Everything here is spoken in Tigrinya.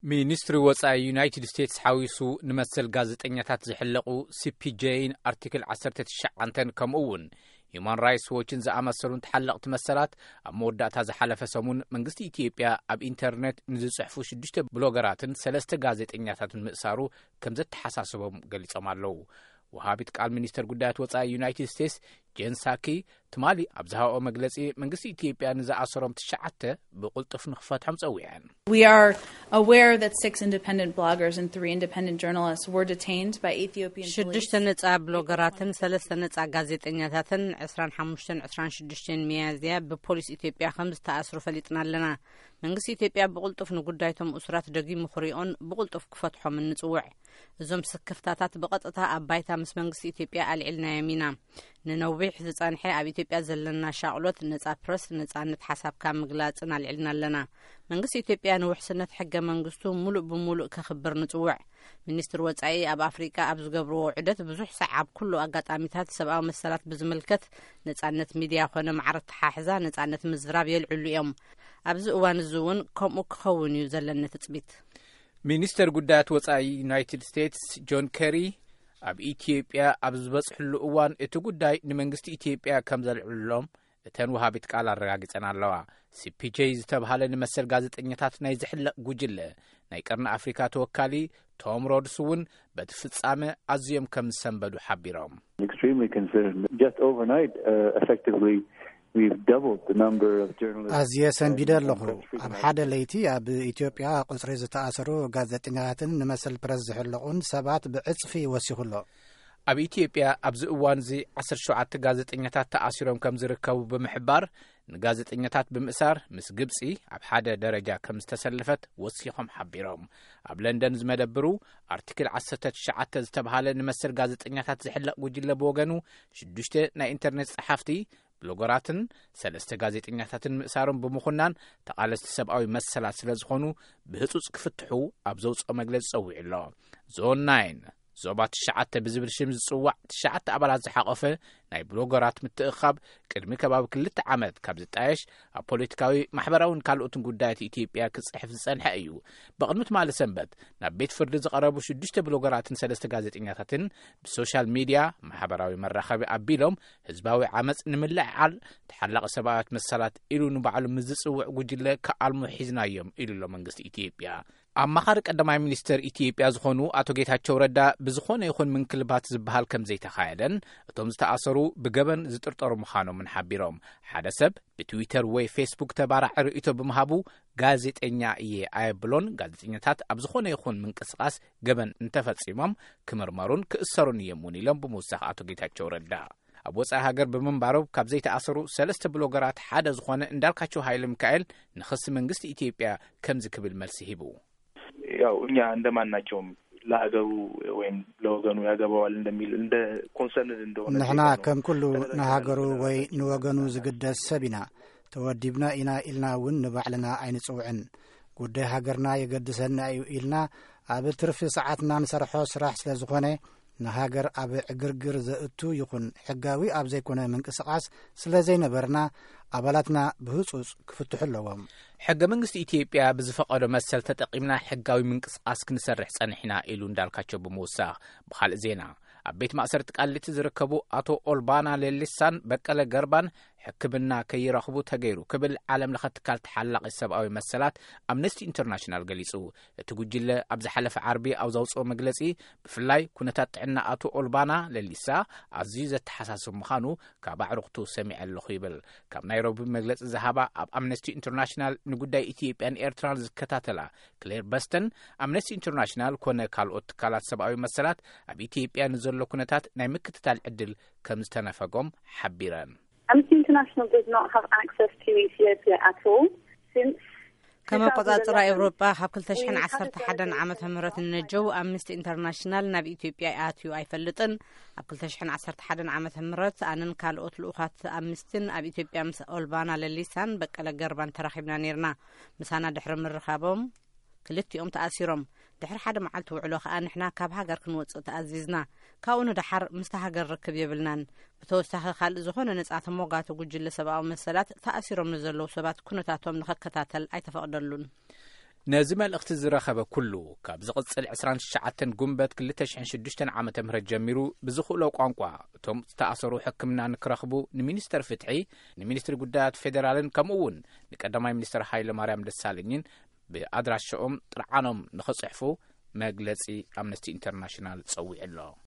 ሚኒስትሪ ወጻኢ ዩናይትድ ስቴትስ ሓዊሱ ንመሰል ጋዜጠኛታት ዝሕለቑ ሲ ፒ ጄን ኣርቲክል ዓሰርተ ትሽዓተን ከምኡ እውን ሂዩማን ራይትስ ዎችን ዝኣመሰሉን ተሓለቕቲ መሰላት ኣብ መወዳእታ ዝሓለፈ ሰሙን መንግስቲ ኢትዮጵያ ኣብ ኢንተርኔት ንዝጽሕፉ ሽዱሽተ ብሎገራትን ሰለስተ ጋዜጠኛታትን ምእሳሩ ከም ዘተሓሳስቦም ገሊጾም ኣለዉ። ወሃቢት ቃል ሚኒስተር ጉዳያት ወጻኢ ዩናይትድ ስቴትስ ጄን ሳኪ ትማሊ ኣብ ዝሃብኦ መግለጺ መንግስቲ ኢትዮጵያ ንዝኣሰሮም ትሽዓተ ብቕልጡፍ ንኽፈትሖም ጸዊዐን። We are aware that six independent bloggers and three independent journalists were detained by Ethiopian police. ሽዱሽተ ነጻ ብሎገራትን ሰለስተ ነጻ ጋዜጠኛታትን ዕስራን ሓሙሽተን ዕስራን ሽዱሽተን ሚያዝያ ብፖሊስ ኢትዮጵያ ከም ዝተኣስሩ ፈሊጥና ኣለና። መንግስቲ ኢትዮጵያ ብቕልጡፍ ንጉዳይቶም እሱራት ደጊሙ ክሪኦን ብቕልጡፍ ክፈትሖምን ንጽውዕ። እዞም ስክፍታታት ብቐጥታ ኣብ ባይታ ምስ መንግስቲ ኢትዮጵያ ኣልዒልናዮም ኢና። ንነዊሕ ዝጸንሐ ኣብ ኢትዮጵያ ዘለና ሻቕሎት ነጻ ፕረስ፣ ነጻነት ሓሳብካ ምግላጽን ኣልዒልና ኣለና። መንግስቲ ኢትዮጵያ ንውሕስነት ሕገ መንግስቱ ሙሉእ ብሙሉእ ከኽብር ንጽውዕ። ሚኒስትር ወጻኢ ኣብ ኣፍሪቃ ኣብ ዝገብርዎ ዑደት ብዙሕ ሳዕ ኣብ ኩሉ ኣጋጣሚታት ሰብኣዊ መሰላት ብዝምልከት ነጻነት ሚድያ ኮነ ማዕረ ተሓሕዛ ነጻነት ምዝራብ የልዕሉ እዮም። ኣብዚ እዋን እዚ እውን ከምኡ ክኸውን እዩ ዘለኒ ትጽቢት። ሚኒስተር ጉዳያት ወጻኢ ዩናይትድ ስቴትስ ጆን ኬሪ ኣብ ኢትዮጵያ ኣብ ዝበጽሕሉ እዋን እቲ ጉዳይ ንመንግስቲ ኢትዮጵያ ከም ዘልዕሉሎም እተን ወሃቢት ቃል ኣረጋጊጸን ኣለዋ። ሲ ፒ ጄ ዝተብሃለ ንመሰል ጋዜጠኛታት ናይ ዝሕለቕ ጉጅለ ናይ ቀርኒ ኣፍሪካ ተወካሊ ቶም ሮድስ እውን በቲ ፍጻመ ኣዝዮም ከም ዝሰንበዱ ሓቢሮም። Extremely concerned. Just overnight, uh, effectively, we've doubled the number of journalists. ኣዝየ ሰንቢደ ኣለኹ። ኣብ ሓደ ለይቲ ኣብ ኢትዮጵያ ቁጽሪ ዝተኣሰሩ ጋዜጠኛታትን ንመሰል ፕረስ ዝሕለቑን ሰባት ብዕጽፊ ወሲኹ ኣሎ። ኣብ ኢትዮጵያ ኣብዚ እዋን እዚ ዓሰርተ ሸውዓተ ጋዜጠኛታት ተኣሲሮም ከም ዝርከቡ ብምሕባር፣ ንጋዜጠኛታት ብምእሳር ምስ ግብጺ ኣብ ሓደ ደረጃ ከም ዝተሰለፈት ወሲኾም ሓቢሮም። ኣብ ለንደን ዝመደብሩ ኣርቲክል ዓሰርተ ትሽዓተ ዝተብሃለ ንመሰል ጋዜጠኛታት ዝሕለቕ ጉጅለ ብወገኑ ሽዱሽተ ናይ ኢንተርኔት ጸሓፍቲ ብሎገራትን ሰለስተ ጋዜጠኛታትን ምእሳሮም ብምኹናን ተቓለስቲ ሰብኣዊ መሰላት ስለ ዝኾኑ ብህጹጽ ክፍትሑ ኣብ ዘውጽኦ መግለጺ ጸዊዑ ኣሎ። ዞን ናይን ዞባ ትሽዓተ ብዝብል ሽም ዝጽዋዕ ትሽዓተ ኣባላት ዝሓቖፈ ናይ ብሎገራት ምትእኻብ ቅድሚ ከባቢ ክልተ ዓመት ካብ ዝጣየሽ ኣብ ፖለቲካዊ ማሕበራውን ካልኦትን ጉዳያት ኢትዮጵያ ክጽሕፍ ዝጸንሐ እዩ። ብቕድሚ ትማሊ ሰንበት ናብ ቤት ፍርዲ ዝቐረቡ ሽዱሽተ ብሎገራትን ሰለስተ ጋዜጠኛታትን ብሶሻል ሚድያ ማሕበራዊ መራኸቢ ኣቢሎም ህዝባዊ ዓመፅ ንምልዕዓል ተሓላቒ ሰብኣዊ መሰላት ኢሉ ንባዕሉ ምስ ዝፅውዕ ጉጅለ ክኣልሙ ሒዝናዮም ኢሉ ኣሎ መንግስቲ ኢትዮጵያ። ኣማኻሪ ቀዳማይ ሚኒስተር ኢትዮጵያ ዝኾኑ ኣቶ ጌታቸው ረዳ ብዝኾነ ይኹን ምንክልባት ዝበሃል ከም ዘይተኻየደን እቶም ዝተኣሰሩ ብገበን ዝጥርጠሩ ምዃኖምን ሓቢሮም። ሓደ ሰብ ብትዊተር ወይ ፌስቡክ ተባራዒ ርእይቶ ብምሃቡ ጋዜጠኛ እየ ኣየብሎን፣ ጋዜጠኛታት ኣብ ዝኾነ ይኹን ምንቅስቓስ ገበን እንተፈፂሞም ክምርመሩን ክእሰሩን እዮም እውን ኢሎም ብምውሳኽ ኣቶ ጌታቸው ረዳ ኣብ ወፃኢ ሃገር ብምንባሮም ካብ ዘይተኣሰሩ ሰለስተ ብሎገራት ሓደ ዝኾነ እንዳልካቸው ኃይለ ሚካኤል ንኽሲ መንግስቲ ኢትዮጵያ ከምዚ ክብል መልሲ ሂቡ። ያው እኛ እንደማናቸውም ለሀገሩ ወይም ለወገኑ ያገባዋል እንደሚል እንደ ኮንሰርንድ እንደሆነ ንሕና ከም ኩሉ ንሃገሩ ወይ ንወገኑ ዝግደስ ሰብ ኢና። ተወዲብና ኢና ኢልና እውን ንባዕልና ኣይንጽውዕን። ጉዳይ ሃገርና የገድሰና እዩ ኢልና ኣብ ትርፊ ሰዓትና ንሰርሖ ስራሕ ስለ ዝኾነ ንሃገር ኣብ ዕግርግር ዘእቱ ይኹን ሕጋዊ ኣብ ዘይኮነ ምንቅስቓስ ስለ ዘይነበርና ኣባላትና ብህጹጽ ክፍትሑ ኣለዎም። ሕገ መንግስቲ ኢትዮጵያ ብዝፈቐዶ መሰል ተጠቒምና ሕጋዊ ምንቅስቓስ ክንሰርሕ ጸኒሕና ኢሉ እንዳልካቸው ብምውሳኽ። ብኻልእ ዜና ኣብ ቤት ማእሰርቲ ቃሊቲ ዝርከቡ ኣቶ ኦልባና ሌሊሳን በቀለ ገርባን ሕክምና ከይረኽቡ ተገይሩ ክብል ዓለም ለኸ ትካል ተሓላቒ ሰብኣዊ መሰላት ኣምነስቲ ኢንተርናሽናል ገሊጹ። እቲ ጉጅለ ኣብ ዝሓለፈ ዓርቢ ኣብ ዘውፅኦ መግለፂ ብፍላይ ኩነታት ጥዕና ኣቶ ኦልባና ለሊሳ ኣዝዩ ዘተሓሳስብ ምዃኑ ካብ ኣዕሩኽቱ ሰሚዐ ኣለኹ ይብል። ካብ ናይሮቢ መግለፂ ዝሃባ ኣብ ኣምነስቲ ኢንተርናሽናል ንጉዳይ ኢትዮጵያን ኤርትራን ዝከታተላ ክሌር በስተን ኣምነስቲ ኢንተርናሽናል ኮነ ካልኦት ትካላት ሰብኣዊ መሰላት ኣብ ኢትዮጵያ ንዘሎ ኩነታት ናይ ምክትታል ዕድል ከም ዝተነፈጎም ሓቢረን። Amnesty International does not have access to Ethiopia at all since ከም ኣቆጻጽራ ኤውሮጳ ካብ ክልተ ሽሕን ዓሰርተ ሓደን ዓመተ ምህረት ንነጀው ኣምነስቲ ኢንተርናሽናል ናብ ኢትዮጵያ ኣትዩ ኣይፈልጥን። ኣብ ክልተ ሽሕን ዓሰርተ ሓደን ዓመተ ምህረት ኣነን ካልኦት ልኡኻት ኣምነስቲን ኣብ ኢትዮጵያ ምስ ኦልባና ለሊሳን በቀለ ገርባን ተራኺብና ነይርና። ምሳና ድሕሪ ምርኻቦም ክልቲኦም ተኣሲሮም። ድሕሪ ሓደ መዓልቲ ውዕሎ ከኣ ንሕና ካብ ሃገር ክንወጽእ ተኣዚዝና። ካብኡ ንደሓር ምስታ ሃገር ርክብ የብልናን። ብተወሳኺ ካልእ ዝኾነ ነጻ ተሞጋቲ ጉጅለ ሰብኣዊ መሰላት ተኣሲሮም ንዘለዉ ሰባት ኩነታቶም ንኸከታተል ኣይተፈቕደሉን። ነዚ መልእኽቲ ዝረኸበ ኩሉ፣ ካብ ዝቕጽል ዕስራን ትሽዓተን ጉንበት ክልተ ሽሕን ሽዱሽተን ዓመተ ምህረት ጀሚሩ ብዝኽእሎ ቋንቋ እቶም ዝተኣሰሩ ሕክምና ንክረኽቡ ንሚኒስተር ፍትሒ፣ ንሚኒስትሪ ጉዳያት ፌዴራልን ከምኡ እውን ንቀዳማይ ሚኒስተር ሃይለ ማርያም ደሳለኝን ብኣድራሻኦም ጥርዓኖም ንኽጽሕፉ መግለጺ ኣምነስቲ ኢንተርናሽናል ጸዊዑ ኣሎ።